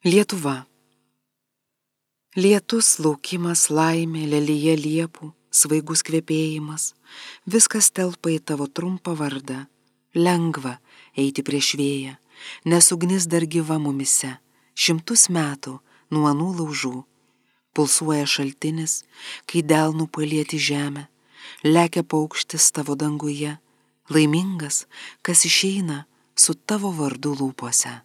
Lietuva. Lietus, laukimas, laimė, lelyje liepų, svaigus kvepėjimas, viskas telpa į tavo trumpą vardą. Lengva eiti prieš vėją, nes ugnis dar gyva mumise, 100 metų nuo anų laužų. Pulsuoja šaltinis, kai delnų palieti žemę, lekia paukštis tavo danguje, laimingas, kas išeina su tavo vardu lūpose.